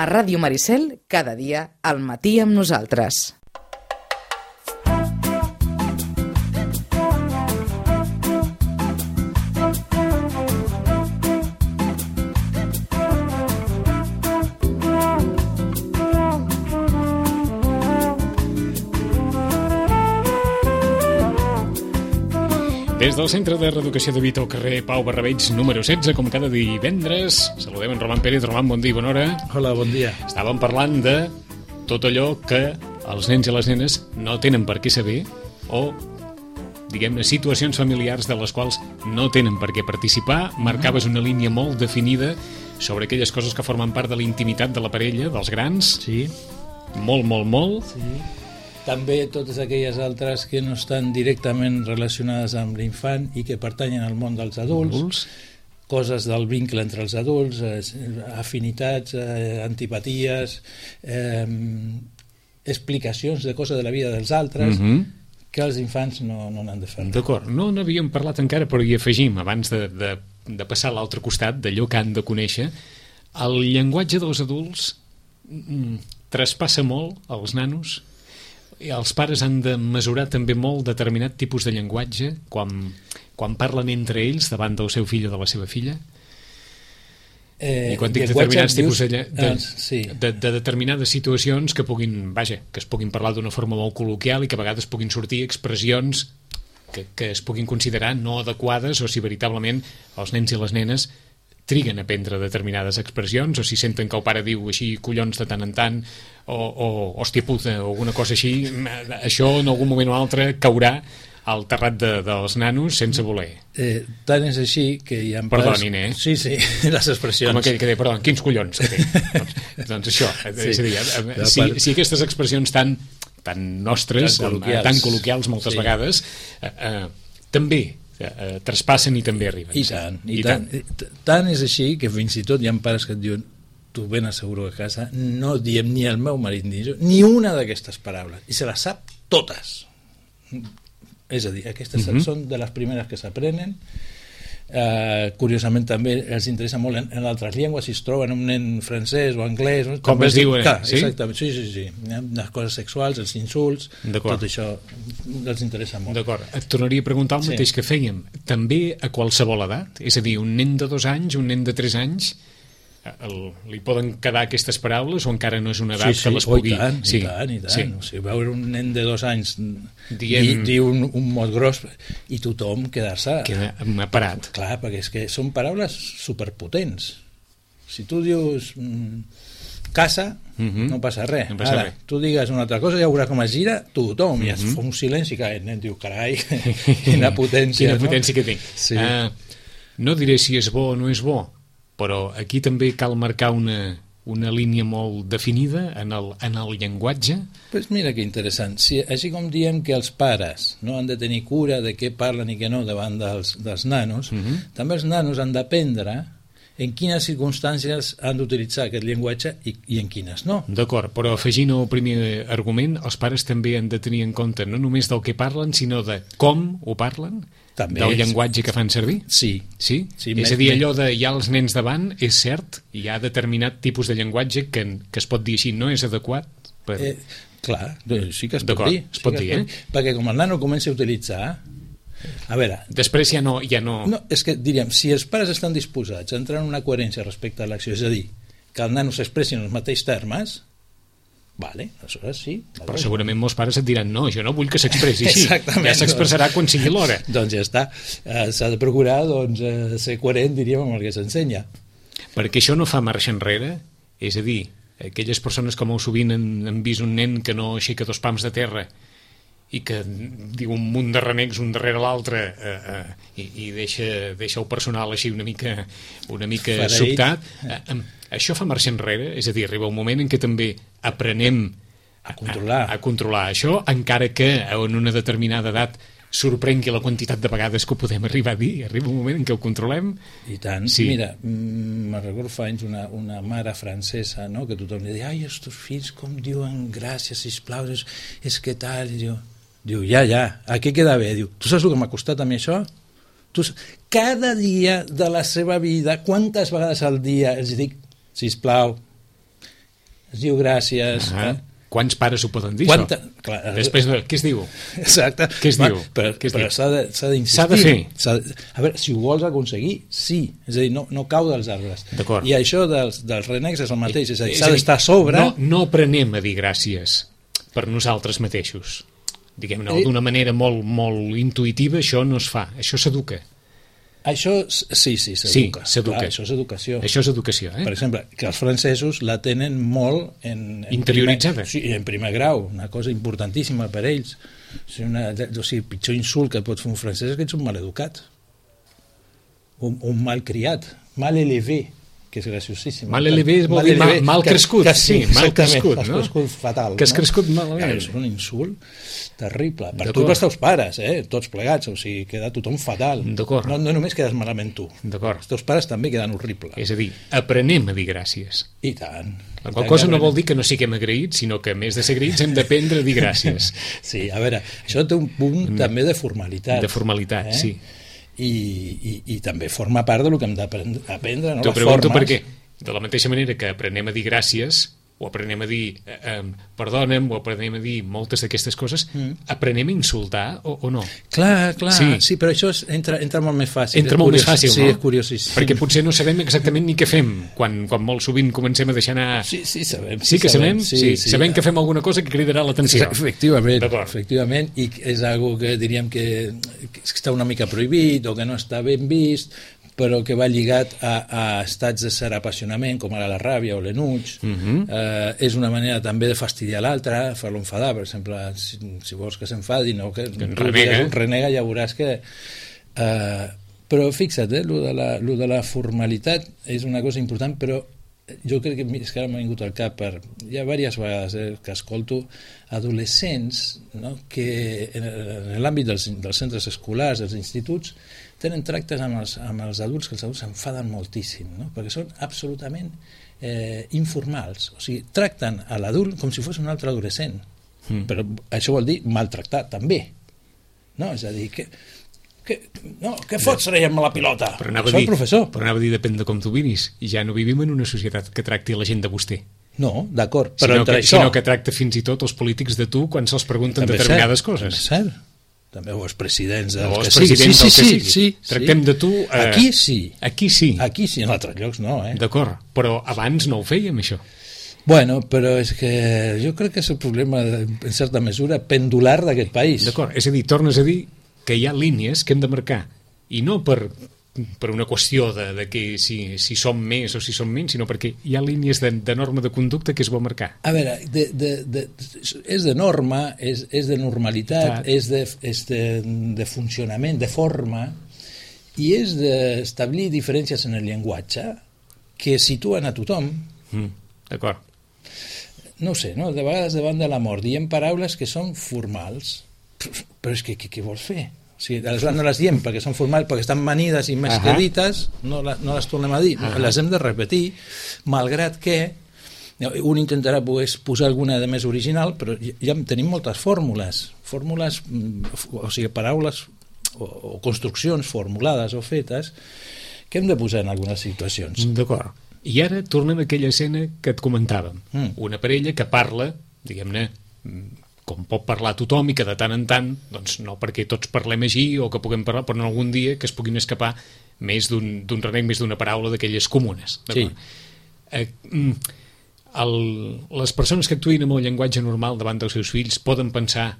A Ràdio Maricel, cada dia, al matí amb nosaltres. Des del Centre de Reeducació de Vita al carrer Pau Barrabeig, número 16, com cada divendres, saludem en Roman Pérez. Roman, bon dia i bona hora. Hola, bon dia. Estàvem parlant de tot allò que els nens i les nenes no tenen per què saber o, diguem-ne, situacions familiars de les quals no tenen per què participar. Marcaves una línia molt definida sobre aquelles coses que formen part de la intimitat de la parella, dels grans. Sí. Molt, molt, molt. Sí. També totes aquelles altres que no estan directament relacionades amb l'infant i que pertanyen al món dels adults. Coses del vincle entre els adults, afinitats, antipaties, explicacions de coses de la vida dels altres, que els infants no n'han de fer. D'acord, no n'havíem parlat encara, però hi afegim, abans de passar a l'altre costat, d'allò que han de conèixer, el llenguatge dels adults traspassa molt als nanos. Els pares han de mesurar també molt determinat tipus de llenguatge quan parlen entre ells davant del seu fill o de la seva filla. I quan dic determinats tipus de determinades situacions que es puguin parlar d'una forma molt col·loquial i que a vegades puguin sortir expressions que es puguin considerar no adequades, o si veritablement els nens i les nenes triguen a prendre determinades expressions, o si senten que el pare diu així collons de tant en tant, o hòstia puta, o alguna cosa així, això en algun moment o altre caurà al terrat dels nanos sense voler. Tant és així que hi ha... Perdonin, Sí, les expressions. Com aquell que deia, perdó, quins collons que té. doncs això, és a dir, si aquestes expressions tan nostres, tan col·loquials moltes vegades, també traspassen i també arriben. I tant és així que fins i tot hi ha pares que et diuen, tu ben asseguro que a casa no diem ni el meu marit ni jo ni una d'aquestes paraules, i se les sap totes. És a dir, aquestes són de les primeres que s'aprenen. Curiosament també els interessa molt en altres llengües, si es troben un nen francès o anglès, com es diuen, exactament, sí. Les coses sexuals, els insults, tot això els interessa molt. D'acord, et tornaria a preguntar el mateix que fèiem, també a qualsevol edat, és a dir, un nen de 2 anys, un nen de 3 anys, li poden quedar aquestes paraules o encara no és una edat que les pugui... I tant. O sigui, veure un nen de 2 anys dir un mot gros i tothom quedar-se parat. Clar, perquè és que són paraules superpotents. Si tu dius casa, no passa res. Ara, tu digues una altra cosa, ja veuràs com es gira tothom, i es fa un silenci que el nen diu, carai, quina potència. Quina potència que té. No diré si és bo o no és bo, però aquí també cal marcar una línia molt definida en el llenguatge. Pues mira que interessant. Així com diem que els pares no han de tenir cura de què parlen i què no davant dels nanos, també els nanos han d'aprendre en quines circumstàncies han d'utilitzar aquest llenguatge i en quines no. D'acord, però afegint el primer argument, els pares també han de tenir en compte no només del que parlen, sinó de com ho parlen, també del llenguatge que fan servir? Sí. És a dir, allò de hi ha els nens davant, és cert, hi ha determinat tipus de llenguatge que es pot dir així, no és adequat? Clar, sí que es pot dir. Es pot dir, Perquè com el nano comença a utilitzar... A veure... Després ja no... No, és que diríem, si els pares estan disposats a entrar en una coherència respecte a l'acció, és a dir, que el nano s'expressi en els mateixos termes, vale, aleshores sí. Però segurament molts pares et diran, no, jo no vull que s'expressi així. Ja s'expressarà quan sigui l'hora. Doncs ja està. S'ha de procurar ser coherent, diríem, amb el que s'ensenya. Perquè això no fa marxa enrere, és a dir, aquelles persones que molt sovint han vist un nen que no aixeca 2 pams de terra i que diu un munt de renecs un darrere l'altre i deixa el personal així una mica sobtat. Això fa marxa enrere? És a dir, arriba un moment en què també aprenem a controlar això, encara que en una determinada edat sorprengui la quantitat de vegades que ho podem arribar a dir. Arriba un moment en què ho controlem. I tant. Sí. Mira, me'n recordo fa anys una mare francesa, no?, que tothom li deia, ai, els teus fills com diuen gràcies, sisplau, és que tal, i diu, ja, a què queda bé? Diu, tu saps el que m'ha costat a mi això? Cada dia de la seva vida, quantes vegades al dia els dic, sisplau, es diu gràcies. Quants pares ho poden dir, Clar, Després, què es diu? Exacte. Què es diu? Però s'ha d'insistir. S'ha de fer. A veure, si ho vols aconseguir, sí. És a dir, no cau dels arbres. I això dels renecs és el mateix. És a dir, s'ha d'estar a sobre... No aprenem a dir gràcies per nosaltres mateixos. Diguem-ne, d'una manera molt, molt intuïtiva, això no es fa. Això s'educa. Això sí, s'educa. Sí, s'educa. Clar, això és educació. Això és educació, Per exemple, que els francesos la tenen molt interioritzada. En primer grau, una cosa importantíssima per ells. O sigui, pitjor insult que pot fer un francès és que ets un maleducat. Un malcriat, mal elevé, que és graciosíssim. Mal elevé vol dir mal crescut. Sí, mal crescut, no? Has crescut fatal. Que has crescut malament. És un insult terrible. Per tu i pels teus pares, tots plegats, o sigui, queda tothom fatal. D'acord. No només quedes malament tu. D'acord. Els teus pares també queden horribles. És a dir, aprenem a dir gràcies. I tant. La qual cosa no vol dir que no siguem agraïts, sinó que a més de ser agraïts hem d'aprendre a dir gràcies. Sí, a veure, això té un punt també de formalitat. De formalitat, sí. I també forma part del que hem d'aprendre, no? T'ho pregunto per què. De la mateixa manera que aprenem a dir gràcies, o aprenem a dir perdona'm, o aprenem a dir moltes d'aquestes coses, aprenem a insultar o no? Clar, sí, però això entra molt més fàcil. Entra molt més fàcil, no? Sí, és curiosíssim. Perquè potser no sabem exactament ni què fem, quan molt sovint comencem a deixar anar... Sí, sabem. Sí que sabem? Sí. Sabem que fem alguna cosa que cridarà l'atenció. Efectivament, i és algo que diríem que està una mica prohibit o que no està ben vist, però que va lligat a estats de ser apassionament, com ara la ràbia o l'enuig. És una manera també de fastidiar l'altre, fer-lo enfadar, per exemple, si vols que s'enfadi, no, que renega, ja veuràs que... Però fixa't, lo de la formalitat és una cosa important, però jo crec que és que ara m'ha vingut al cap hi ha diverses vegades que escolto adolescents, no, que en l'àmbit dels centres escolars, dels instituts, tenen tractes amb els adults que els adults s'enfaden moltíssim, no? Perquè són absolutament informals, o sigui, tracten a l'adult com si fos un altre adolescent, però això vol dir maltractar també, no? És a dir, què fots traient-me la pilota? Soc professor. Però anava a dir, depèn de com tu vivis, i ja no vivim en una societat que tracti la gent de vostè. No, d'acord, però sinó que tracta fins i tot els polítics de tu quan se'ls pregunten determinades coses. És cert. També els presidents del que sigui. Sí. Tractem de tu... Aquí sí. Aquí sí, en altres llocs no, D'acord, però abans no ho fèiem, això. Bueno, però és que jo crec que és el problema, en certa mesura, pendular d'aquest país. D'acord, és a dir, tornes a dir que hi ha línies que hem de marcar, i no per una qüestió de que si som més o si som menys, sinó perquè hi ha línies de norma de conducta que és bo marcar. A veure, és de norma, és de normalitat, és de funcionament, de forma, i és d'establir diferències en el llenguatge que situen a tothom. D'acord. No ho sé, no? De vegades davant de la mort diem paraules que són formals, però és que què vols fer? O sigui, no les diem perquè són formals, perquè estan manides i més que dites, no les tornem a dir, les hem de repetir, malgrat que un intentarà posar alguna de més original, però ja tenim moltes fórmules, o sigui, paraules o construccions formulades o fetes que hem de posar en algunes situacions. D'acord. I ara tornem a aquella escena que et comentàvem. Una parella que parla, diguem-ne, com pot parlar tothom i que de tant en tant, doncs no perquè tots parlem així o que puguem parlar, però en algun dia que es puguin escapar més d'un renec, més d'una paraula d'aquelles comunes. Sí. Les persones que actuïn amb el llenguatge normal davant dels seus fills poden pensar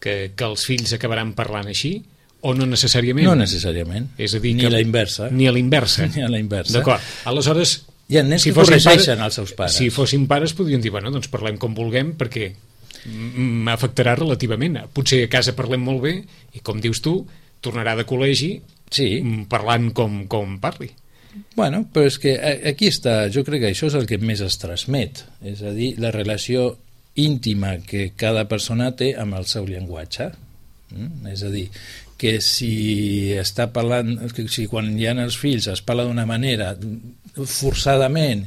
que els fills acabaran parlant així o no necessàriament? No necessàriament. És a dir, ni a la inversa. Ni a la inversa. Ni a la inversa. D'acord. Aleshores, hi ha nens que corregeixen els seus pares. Si fossin pares podrien dir, bueno, doncs parlem com vulguem perquè m'afectarà relativament. Potser a casa parlem molt bé i, com dius tu, tornarà de col·legi parlant com parli. Bueno, però és que aquí està, jo crec que això és el que més es transmet, és a dir, la relació íntima que cada persona té amb el seu llenguatge. És a dir, que si està parlant, si quan hi ha els fills es parla d'una manera forçadament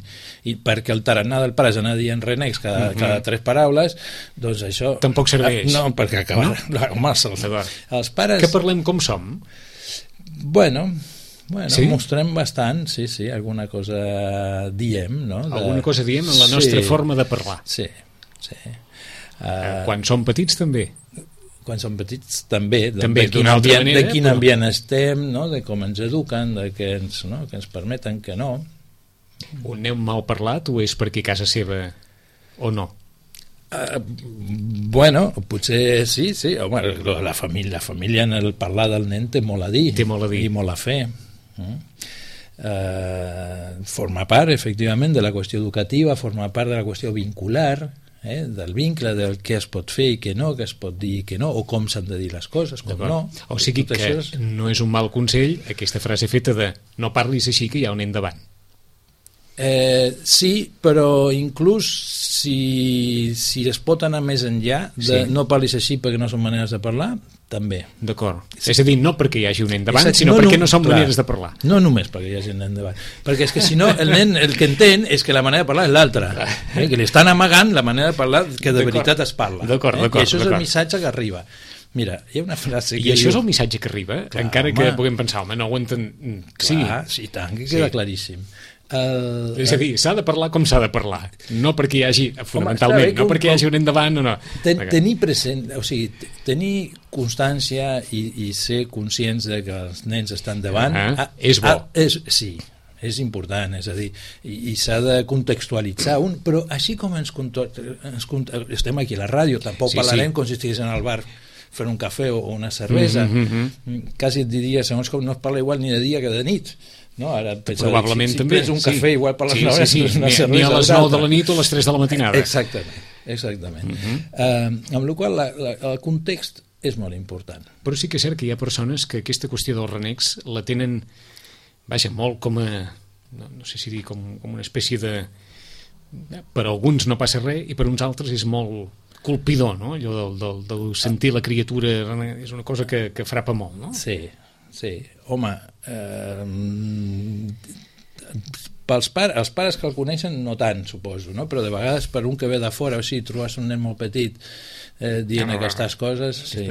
i perquè el tarannà del pare és anar dient renecs cada 3 paraules, doncs això tampoc serveix. No, perquè acabar els pares... Que parlem com som? Bueno, Bueno, sí? mostrem bastant, sí, alguna cosa diem, no? Alguna cosa diem en la nostra forma de parlar. Sí. Quan som petits també. Quan som petits també, També, de quin ambient estem, no? De com ens eduquen, de que ens permeten que no. On aneu mal parlat o és perquè a casa seva o no? Bueno, potser sí. Home, la família en el parlar del nen té molt a dir. Té molt a dir. I molt a fer. Forma part, efectivament, de la qüestió educativa, forma part de la qüestió vincular, del vincle del què es pot fer i què no, què es pot dir i què no, o com s'han de dir les coses, com no. O sigui que no és un mal consell aquesta frase feta de no parlis així que hi ha un nen davant. Sí, però inclús si es pot anar més enllà de no parlis així perquè no són maneres de parlar, també. D'acord. És a dir, no perquè hi hagi un nen davant, sinó perquè no són maneres de parlar. No només perquè hi hagi un nen davant, perquè és que si no el nen el que entén és que la manera de parlar és l'altra, que li estan amagant la manera de parlar que de veritat es parla. D'acord. I això és el missatge que arriba. Mira, hi ha una frase que I això és el missatge que arriba? Clar, encara que puguem pensar, home, no ho enten... Clar, sí, tant, que queda claríssim. És a dir, s'ha de parlar com s'ha de parlar, no perquè hi hagi, fonamentalment, no perquè hi hagi un endavant o no. Tenir present, o sigui, tenir constància i ser conscients de que els nens estan davant és bo. Sí, és important, és a dir, i s'ha de contextualitzar però així com estem aquí a la ràdio, tampoc parlarem com si estigués en el bar fent un cafè o una cervesa, quasi et diria, segons com no es parla igual ni de dia que de nit. No, ara probablement si també un cafè igual per les 9 una cervesa ni a les 9 de la nit o a les 3 de la matinada. Exactament. Amb la qual el context és molt important. Però sí que és cert que hi ha persones que aquesta qüestió dels renecs la tenen molt com a no sé si dir com una espècie de per alguns no passa res i per uns altres és molt colpidor, no? Allò del sentir la criatura és una cosa que frapa molt, no? Sí, home, els pares que el coneixen no tant, suposo, no? Però de vegades per un que ve de fora, o sigui, trobes un nen molt petit dient aquestes coses, sí.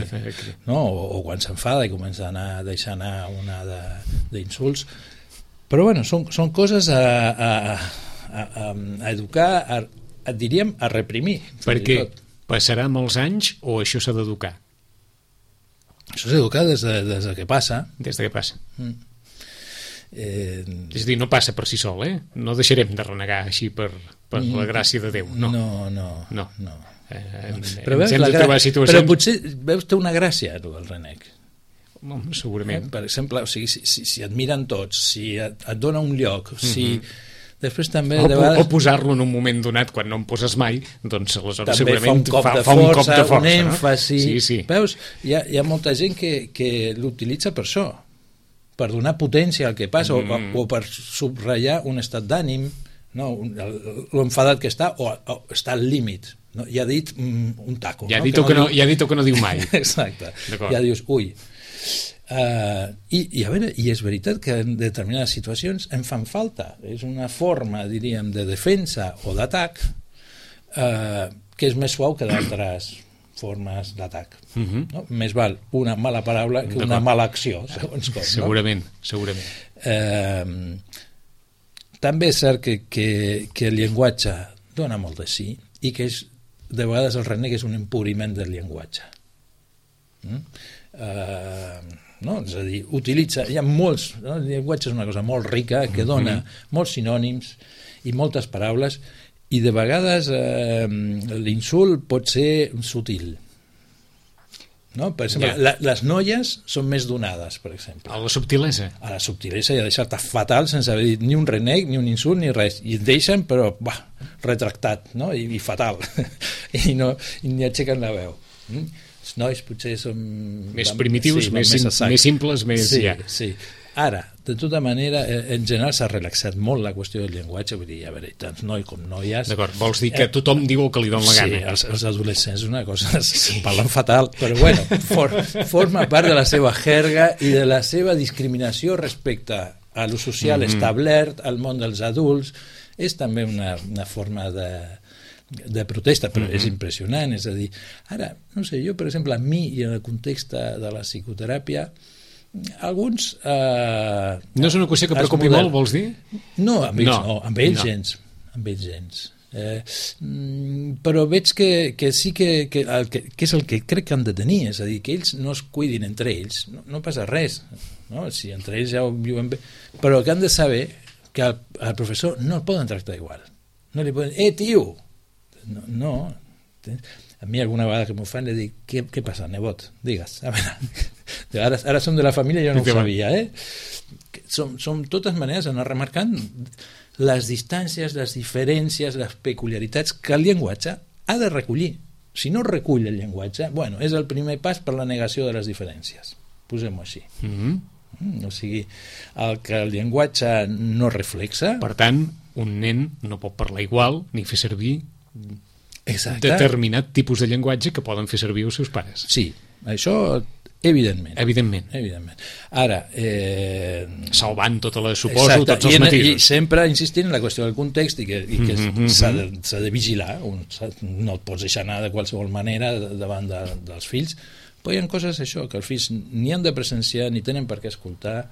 No? O quan s'enfada i comença a deixar anar una d'insults. Però bueno, són coses a educar, diríem, a reprimir. Perquè passarà molts anys o això s'ha d'educar? Això s'ha d'educar des de que passa. Des de que passa. És a dir, no passa per si sol, No deixarem de renegar així per la gràcia de Déu, no. No. Però potser veus té una gràcia, el renec. Segurament. Per exemple, o sigui, si et miren tots, si et dona un lloc, si... Després també de vegades... O posar-lo en un moment donat quan no em poses mai, doncs aleshores també segurament fa un cop de força, un èmfasi, no? Sí. Veus? Hi ha molta gent que l'utilitza per això, per donar potència al que passa o per subratllar un estat d'ànim, no? L'enfadat que està o està al límit, no? Ja ha dit un taco, ja ha dit o que no diu mai. Exacte, ja dius ui. I a veure, i és veritat que en determinades situacions en fan falta, és una forma, diríem, de defensa o d'atac que és més suau que d'altres formes d'atac, no? Més val una mala paraula que una mala acció, segons com, segurament. També és cert que el llenguatge dona molt de sí i que de vegades el renec és un empobriment del llenguatge. No? És a dir, hi ha molts, no? El llenguatge és una cosa molt rica que dona molts sinònims i moltes paraules i de vegades l'insult pot ser sutil, no? Per exemple, les noies són més donades, per exemple, a la subtilesa i a deixar-te fatal sense haver dit ni un renec, ni un insult, ni res, i et deixen però retractat, no? I fatal i ni aixequen la veu. Els nois potser són més primitius, més simples, més... Sí. Ara, de tota manera, en general s'ha relaxat molt la qüestió del llenguatge, vull dir, a veure, tant noi com noies... D'acord, vols dir que tothom diu el que li dona la gana? Sí, els adolescents una cosa, parlen fatal, però bueno, forma part de la seva jerga i de la seva discriminació respecte a lo social establert, al món dels adults, és també una forma de protesta, però és impressionant, és a dir, ara, no sé, jo per exemple a mi i en el context de la psicoteràpia Alguns... No és una qüestió que preocupi molt, vols dir? No, amb ells gens. Amb ells gens. Però veig que sí que és el que crec que han de tenir, és a dir, que ells no es cuidin entre ells, no passa res, no? Si entre ells ja ho viuen bé, però que han de saber que al professor no el poden tractar igual, no li poden, tio, no. A mi alguna vegada que m'ho fan li dic, què passa, nebot? Digues, a veure, ara som de la família, jo no ho sabia, som totes maneres anar remarcant les distàncies, les diferències, les peculiaritats que el llenguatge ha de recollir. Si no recull el llenguatge, bueno, és el primer pas per la negació de les diferències. Posem-ho així. O sigui, el que el llenguatge no reflexa... Per tant, un nen no pot parlar igual ni fer servir determinat tipus de llenguatge que poden fer servir els seus pares. Sí, això... Evidentment. Ara... salvant suposo, tots els matisos. I sempre insistint en la qüestió del context i que s'ha de vigilar, no et pots deixar anar de qualsevol manera davant dels fills, però hi ha coses això, que els fills ni han de presenciar ni tenen per què escoltar.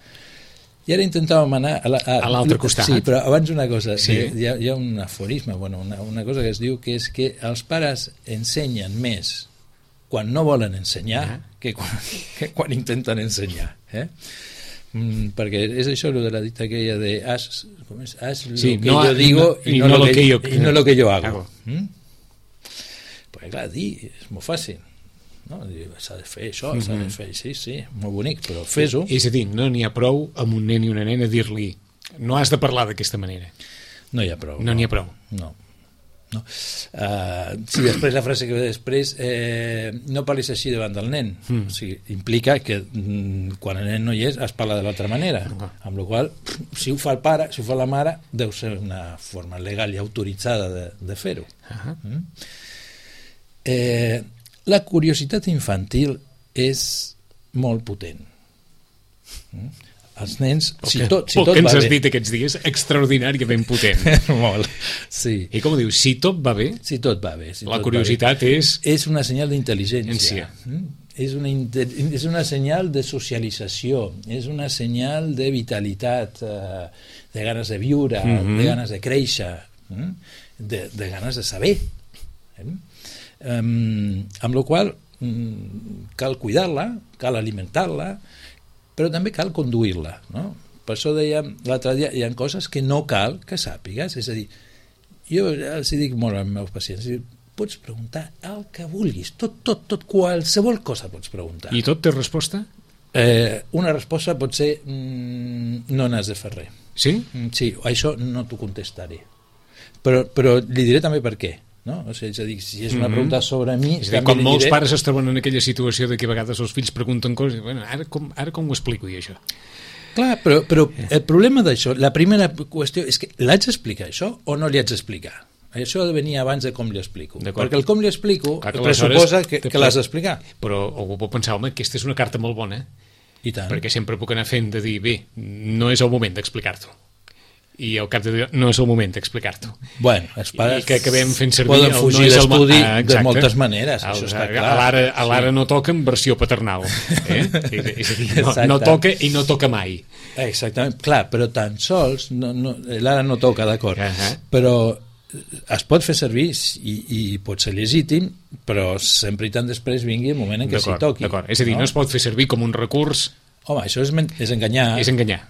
I ara intentàvem anar a l'altre costat. Sí, però abans una cosa, hi ha un aforisme, una cosa que es diu que és que els pares ensenyen més quan no volen ensenyar que quan intenten ensenyar. Perquè és això de la dita aquella de haz lo que yo digo y no lo que yo hago. Pues clar, dir és molt fàcil. S'ha de fer això, s'ha de fer, sí, molt bonic, però fes-ho. És a dir, no n'hi ha prou amb un nen i una nena dir-li no has de parlar d'aquesta manera. No hi ha prou. No n'hi ha prou. No. Si després la frase que ve després no parlis així davant del nen, o sigui, implica que quan el nen no hi és es parla de l'altra manera, amb la qual si ho fa el pare, si ho fa la mare, deu ser una forma legal i autoritzada de fer-ho. La curiositat infantil és molt potent. Els nens, si tot que ens va has bé... dit aquests dies, extraordinàriament potent. Molt, sí. I com ho dius, si tot va bé? Si tot va bé. La curiositat és... És una senyal d'intel·ligència. És una senyal de socialització, és una senyal de vitalitat, de ganes de viure, de ganes de créixer, de ganes de saber. Amb la qual cal cuidar-la, cal alimentar-la, però també cal conduir-la, no? Per això dèiem l'altre dia, hi ha coses que no cal que sàpigues, és a dir, jo els dic molt als meus pacients, pots preguntar el que vulguis, tot, qualsevol cosa pots preguntar. I tot té resposta? Una resposta pot ser no n'has de fer res. Sí? Sí, això no t'ho contestaré. Però li diré també per què. No? O sigui, és a dir, si és una pregunta sobre mi... És a dir, com molts pares es troben en aquella situació de que a vegades els fills pregunten coses i bueno, ara com ho explico jo això? Clar, però el problema d'això, la primera qüestió és que l'haig d'explicar això o no li haig d'explicar? Això ha de venir abans de com li explico. Perquè el com li explico pressuposa que l'has d'explicar. Però algú pot pensar, home, aquesta és una carta molt bona. I tant. Perquè sempre puc anar fent de dir, bé, no és el moment d'explicar-t'ho. I al cap de dir, no és el moment d'explicar-t'ho. Bueno, els pares i que acabem fent servir poden fugir d'estudi de moltes maneres, això està clar. A l'ara no toca en versió paternal. És a dir, no toca i no toca mai. Exactament, clar, però tan sols l'ara no toca, d'acord, però es pot fer servir i pot ser legítim, però sempre i tant després vingui el moment en què s'hi toqui. És a dir, no es pot fer servir com un recurs. Home, això és enganyar. És enganyar.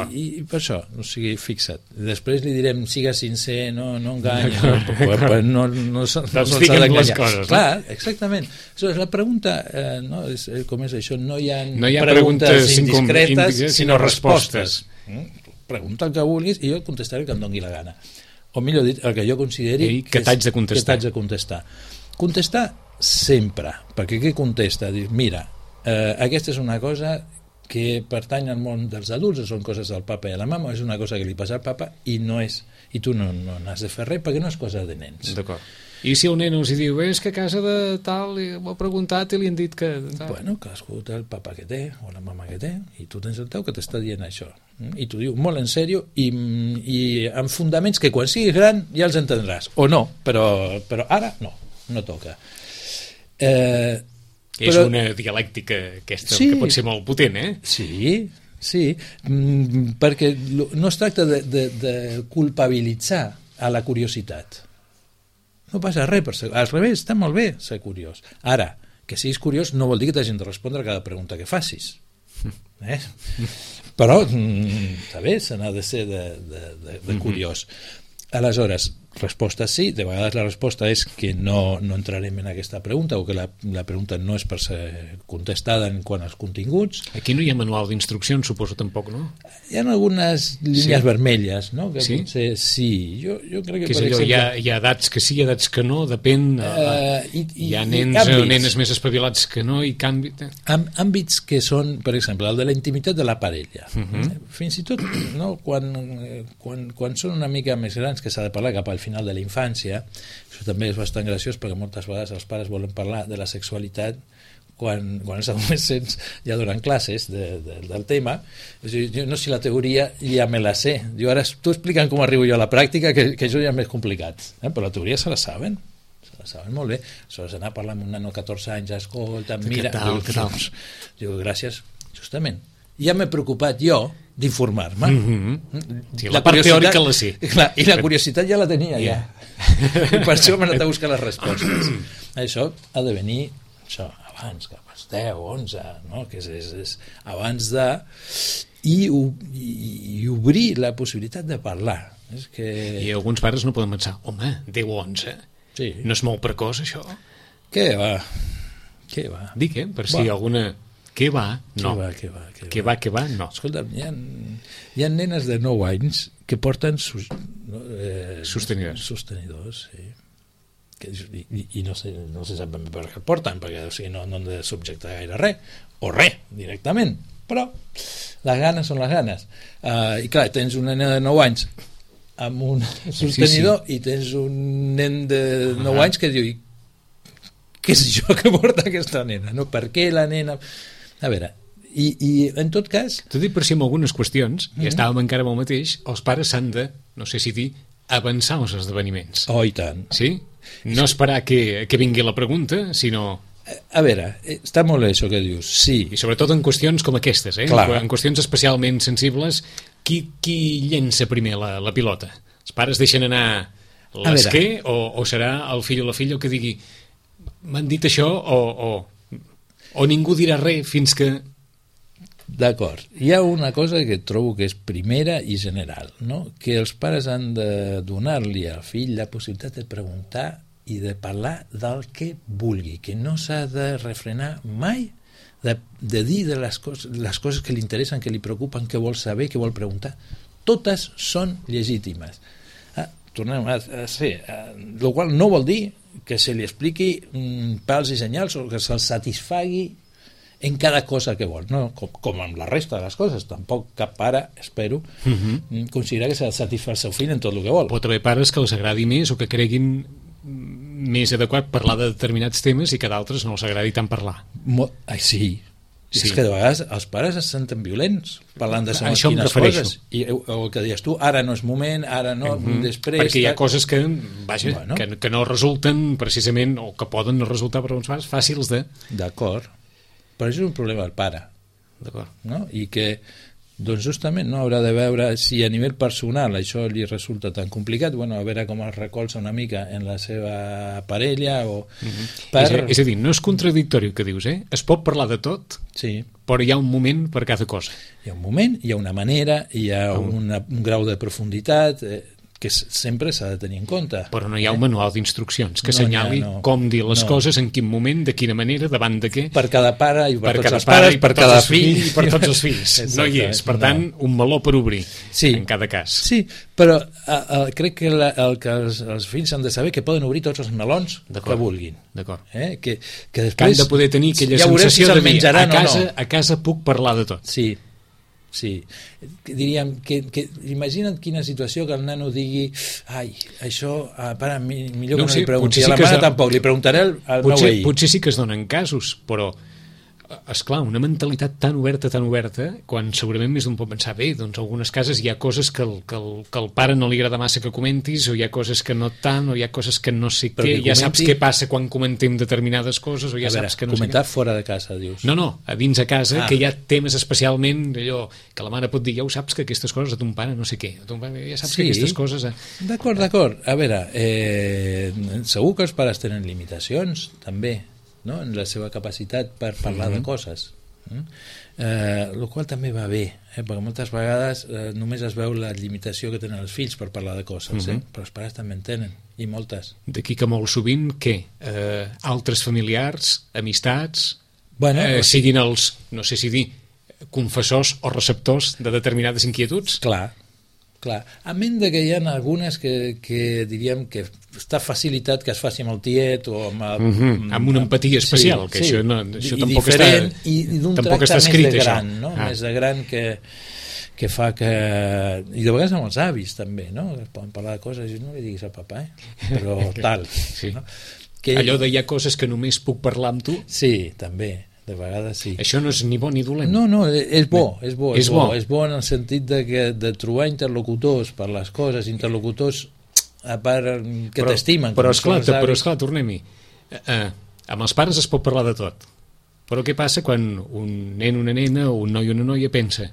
I per això, o sigui, fixa't. Després li direm, siga sincer, no enganya. No s'ha d'enganyar. Les coses. Clar, exactament. La pregunta, com és això? No hi ha preguntes indiscretes, sinó respostes. Pregunta el que vulguis i jo contestaré el que em doni la gana. O millor dit, el que jo consideri que t'haig de contestar. Contestar sempre. Perquè què contesta? Dius, mira, aquesta és una cosa que pertany al món dels adults, són coses del papa i de la mama, és una cosa que li passa al papa i tu no n'has de fer res perquè no és cosa de nens. D'acord. I si el nen els diu, és que a casa de tal m'ho ha preguntat i li han dit que... Bueno, cadascú té el papa que té o la mama que té i tu tens el teu que t'està dient això i t'ho diu molt en sèrio i amb fundaments que quan siguis gran ja els entendràs, o no, però ara no toca. És una dialèctica aquesta que pot ser molt potent, Sí, perquè no es tracta de culpabilitzar a la curiositat. No passa res, al revés, està molt bé ser curiós. Ara, que siguis curiós no vol dir que t'hagin de respondre a cada pregunta que facis. Però, està bé, se n'ha de ser de curiós. Aleshores, resposta sí, de vegades la resposta és que no entrarem en aquesta pregunta o que la pregunta no és per ser contestada en quant als continguts. Aquí no hi ha manual d'instruccions, suposo, tampoc, no? Hi ha algunes línies vermelles, no? Que sí? Potser sí. Jo crec que, per exemple... Hi ha edats que sí, edats que no, depèn. Hi ha nens o nenes més espavilats que no, i canvi... Àmbits que són, per exemple, el de la intimitat de la parella. Fins i tot, no? Quan són una mica més grans, que s'ha de parlar cap al final de la infància, això també és bastant graciós perquè moltes vegades els pares volen parlar de la sexualitat quan els adolescents ja donen classes del tema. Jo no sé si la teoria ja me la sé, jo ara tu explicant com arribo jo a la pràctica, que això ja és més complicat, però la teoria se la saben molt bé. Aleshores anar a parlar amb un nano de 14 anys, escolta, mira, què tal? Diu, gràcies, justament ja m'he preocupat jo d'informar-me. Sí, la part teòrica la sé. Clar, i la curiositat ja la tenia, ja. I per això m'he anat a buscar les respostes. Això ha de venir abans, cap als 10, 11, no? Que és abans de... I obrir la possibilitat de parlar. És que... I alguns pares no poden pensar, home, 10 o 11, sí. No és molt precoç, això? Què va? Dic, per si alguna... Què va? No. Què va? No. Escolta, hi ha nenes de 9 anys que porten sostenidors, sí. I no se sap ben bé per què el porten, perquè no han de subjectar gaire res, o res, directament. Però les ganes són les ganes. I clar, tens una nena de 9 anys amb un sostenidor i tens un nen de 9 anys que diu, què és això que porta aquesta nena? No? Per què la nena... A veure, i en tot cas... T'ho dic per si en algunes qüestions, i estàvem encara amb el mateix, els pares s'han de, no sé si dir, avançar els esdeveniments. Oh, i tant. Sí? No esperar que vingui la pregunta, sinó... A veure, està molt bé això que dius, sí. I sobretot en qüestions com aquestes, Clar. En qüestions especialment sensibles, qui llença primer la pilota? Els pares deixen anar l'esquer o serà el fill o la filla que digui m'han dit això o ningú dirà res fins que... D'acord. Hi ha una cosa que trobo que és primera i general, no? Que els pares han de donar-li al fill la possibilitat de preguntar i de parlar del que vulgui, que no s'ha de refrenar mai de dir de les coses que li interessen, que li preocupen, que vol saber, que vol preguntar. Totes són legítimes. Tornem a ser, el qual no vol dir que se li expliqui pals i senyals o que se'l satisfagui en cada cosa que vol, no? Com amb la resta de les coses. Tampoc cap pare, espero, considera que s'ha de satisfer el seu fill en tot el que vol. Pot haver pares que els agradi més o que creguin més adequat parlar de determinats temes i que d'altres no els agradi tant parlar. Sí. És que de vegades els pares es senten violents parlant de segons quines coses i el que deies tu, ara no és moment, ara no, després... Perquè hi ha coses que no resulten precisament, o que poden no resultar per uns pares fàcils de... D'acord, però això és un problema del pare. D'acord. No? I que doncs justament no haurà de veure si a nivell personal això li resulta tan complicat, bueno, a veure com el recolza una mica en la seva parella o... És a dir, no és contradictori el que dius, es pot parlar de tot, sí, però hi ha un moment per cada cosa. Hi ha un moment, hi ha una manera, hi ha un grau de profunditat que sempre s'ha de tenir en compte. Però no hi ha un manual d'instruccions que assenyali com dir les coses, en quin moment, de quina manera, davant de què. Per cada pare i per tots els pares, per cada fill i per tots els fills. No hi és. Per tant, un meló per obrir, en cada cas. Sí, però crec que el que els fills han de saber que poden obrir tots els melons que vulguin. D'acord. Que després... Que han de poder tenir aquella sensació de dir, a casa puc parlar de tot. Sí, diríem que imagina't quina situació que el nano digui això, pare, millor que no li pregunti a la mare tampoc, li preguntaré al meu veí. Potser sí que es donen casos, però esclar, una mentalitat tan oberta, quan segurament més d'un pot pensar, bé, doncs algunes cases hi ha coses que el pare no li agrada massa que comentis, o hi ha coses que no tant, o hi ha coses que no sé què, ja saps què passa quan comentem determinades coses, o ja saps que no sé què. Comentar fora de casa, dius. No, a dins a casa, que hi ha temes especialment, allò, que la mare pot dir, ja ho saps que aquestes coses a ton pare no sé què, a ton pare ja saps que aquestes coses... D'acord. A veure, segur que els pares tenen limitacions, també, no? En la seva capacitat per parlar de coses, el qual també va bé, perquè moltes vegades només es veu la limitació que tenen els fills per parlar de coses, però els pares també en tenen, i moltes. D'aquí que molt sovint, què? Altres familiars, amistats, siguin els, no sé si dir, confessors o receptors de determinades inquietuds? Clar. A menys que hi ha algunes que diríem que està facilitat que es faci amb el tiet o amb una empatia especial, que això tampoc està i d'un tracte més de gran, no? Més de gran que fa que... I de vegades amb els avis també, no? Poden parlar de coses i no li diguis al papà, però tal, no? Allò de hi ha coses que només puc parlar amb tu? Sí, també, de vegades sí. Això no és ni bo ni dolent. No, és bo. És bo en el sentit de trobar interlocutors per les coses, interlocutors a part que t'estimen. Però esclar, tornem-hi. Amb els pares es pot parlar de tot. Però què passa quan un nen, una nena, o un noi o una noia pensa,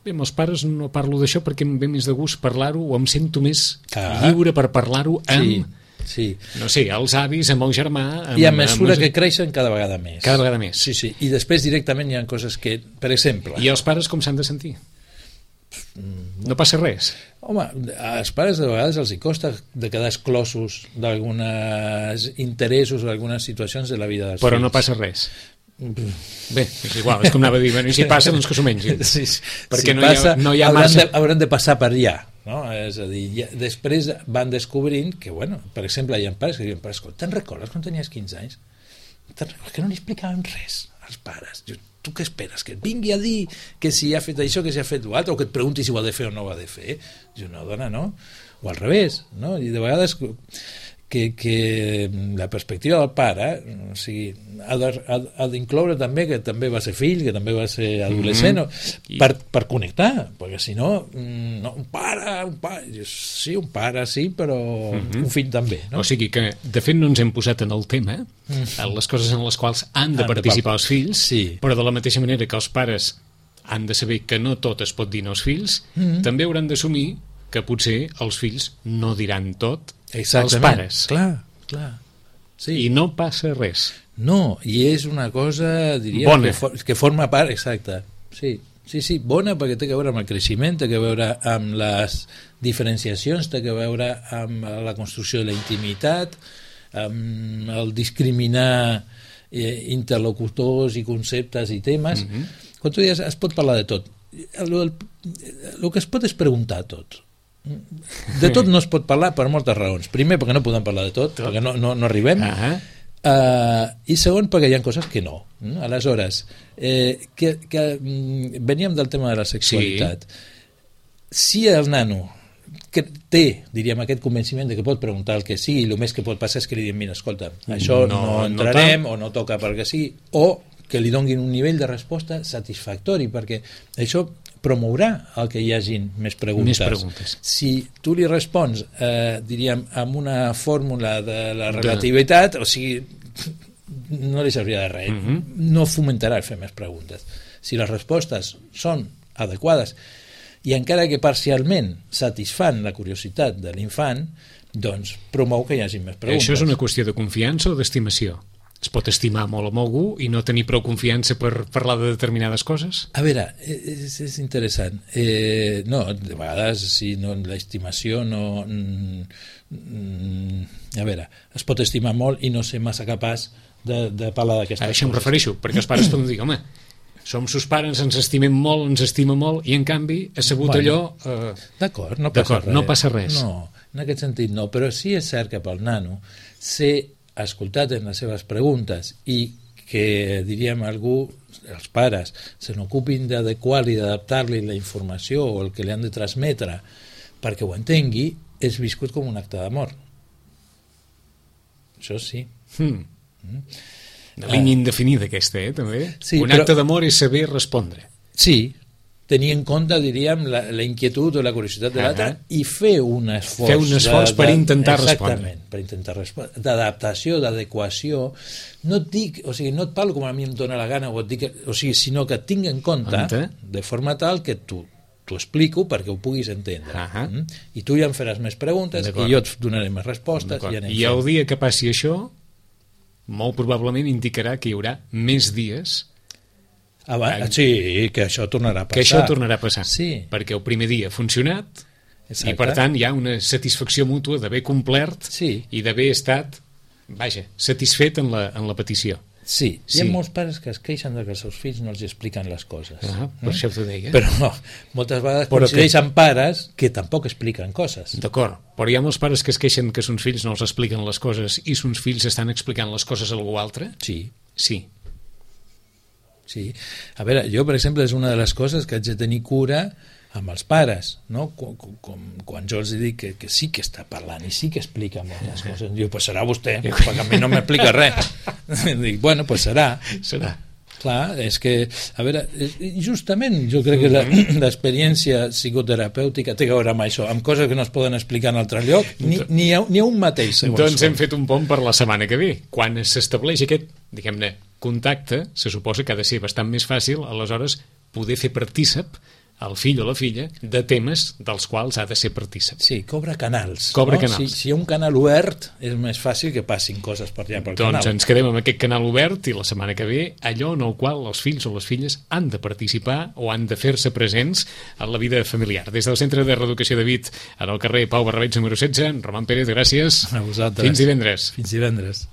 bé, amb els pares no parlo d'això perquè em ve més de gust parlar-ho, o em sento més lliure per parlar-ho amb... Sí. No sé, els avis, amb el germà... I a mesura que creixen cada vegada més. Cada vegada més. Sí. I després directament hi ha coses que, per exemple... I els pares com s'han de sentir? No passa res? Home, als pares de vegades els hi costa de quedar exclosos d'alguns interessos o d'algunes situacions de la vida dels fills. Però no passa res? Bé, és igual, és com anava a dir, i si passa, doncs que s'ho mengin. Sí, perquè si no hi ha massa... Hauran de passar per allà. No? És a dir, després van descobrint que, bueno, per exemple, hi ha pares que diuen, escolta, te'n recordes quan tenies 15 anys? Que no li explicàvem res als pares. Tu què esperes? Que et vingui a dir que si ha fet això, que si ha fet l'altre, o que et pregunti si ho ha de fer o no ho ha de fer? No, dona, no. O al revés, no? I de vegades que la perspectiva del pare, o sigui, ha d'incloure també que també va ser fill, que també va ser adolescent, per connectar, perquè si no, un pare, sí, però un fill també, no? O sigui que, de fet, no ens hem posat en el tema, en les coses en les quals han de participar els fills, però de la mateixa manera que els pares han de saber que no tot es pot dir als fills, també hauran d'assumir que potser els fills no diran tot als pares. Clar. Sí. I no passa res. No, i és una cosa, diríem, bona, que forma part, exacte. Sí, bona perquè té a veure amb el creixement, té a veure amb les diferenciacions, té a veure amb la construcció de la intimitat, amb el discriminar interlocutors i conceptes i temes. Quan tu dius, es pot parlar de tot. El que es pot és preguntar tot. De tot no es pot parlar per moltes raons. Primer, perquè no podem parlar de tot, perquè no arribem. I segon, perquè hi ha coses que no. Aleshores, veníem del tema de la sexualitat. Si el nano que té, diríem, aquest convenciment de que pot preguntar el que sigui, i el més que pot passar és que li diguem, mira, escolta, això no entrarem, o no toca perquè sí, o que li donguin un nivell de resposta satisfactori, perquè això promourà el que hi hagin més preguntes. Si tu li respons, diríem, amb una fórmula de la relativitat, o sigui, no li serviria de res. No fomentarà fer més preguntes. Si les respostes són adequades i encara que parcialment satisfan la curiositat de l'infant, doncs promou que hi hagi més preguntes. Això és una qüestió de confiança o d'estimació? Es pot estimar molt amb algú i no tenir prou confiança per parlar de determinades coses? A veure, és interessant. No, de vegades si no, l'estimació no... A veure, es pot estimar molt i no ser massa capaç de parlar d'aquestes coses. Això em refereixo, perquè els pares poden dir, home, som sus pares, ens estimem molt, ens estima molt, i en canvi ha sabut allò... D'acord, no passa res. No passa res. No, en aquest sentit no, però sí és cert que pel nano ser escoltat en les seves preguntes i que, diríem, algú, els pares, se n'ocupin d'adequar-li, d'adaptar-li la informació o el que li han de transmetre perquè ho entengui, és viscut com un acte d'amor. Això sí. Una línia indefinida aquesta, també. Sí, un acte d'amor és saber respondre. Sí, tenir en compte, diríem, la inquietud o la curiositat de l'altre i fer un esforç. Fer un esforç per intentar respondre. Exactament, per intentar respondre. D'adaptació, d'adequació. No et dic, o sigui, no et parlo com a mi em dóna la gana, o et dic, o sigui, sinó que et tinc en compte de forma tal que t'ho explico perquè ho puguis entendre. I tu ja em faràs més preguntes i jo et donaré més respostes. I el dia que passi això, molt probablement indicarà que hi haurà més dies sí, que això tornarà a passar. Que això tornarà a passar. Sí. Perquè el primer dia ha funcionat i, per tant, hi ha una satisfacció mútua d'haver complert i d'haver estat, vaja, satisfet en la petició. Sí, hi ha molts pares que es queixen que els seus fills no els expliquen les coses. Per això t'ho deia. Però moltes vegades coincideixen pares que tampoc expliquen coses. D'acord, però hi ha molts pares que es queixen que sons fills no els expliquen les coses i sons fills estan explicant les coses a algú altre? Sí. Sí. A veure, jo, per exemple, és una de les coses que haig de tenir cura amb els pares, no? Quan jo els dic que sí que està parlant i sí que explica moltes coses, diu, pues serà vostè, perquè a mi no m'explica res. Dic, bueno, pues serà. Clar, és que, a veure, justament jo crec que l'experiència psicoterapèutica té a veure amb això, amb coses que no es poden explicar en altre lloc, ni a un mateix. Doncs hem fet un pont per la setmana que ve. Quan s'estableix aquest, diguem-ne, contacte, se suposa que ha de ser bastant més fàcil, aleshores, poder fer partícip el fill o la filla de temes dels quals ha de ser partícip. Sí, cobra canals. Si hi ha un canal obert, és més fàcil que passin coses per allà pel canal. Doncs ens quedem amb aquest canal obert i la setmana que ve allò en el qual els fills o les filles han de participar o han de fer-se presents en la vida familiar. Des del Centre de Reeducació de Vic, en el carrer Pau Barrabets número 16, Roman Pérez, gràcies. A vosaltres. Fins divendres. Fins divendres.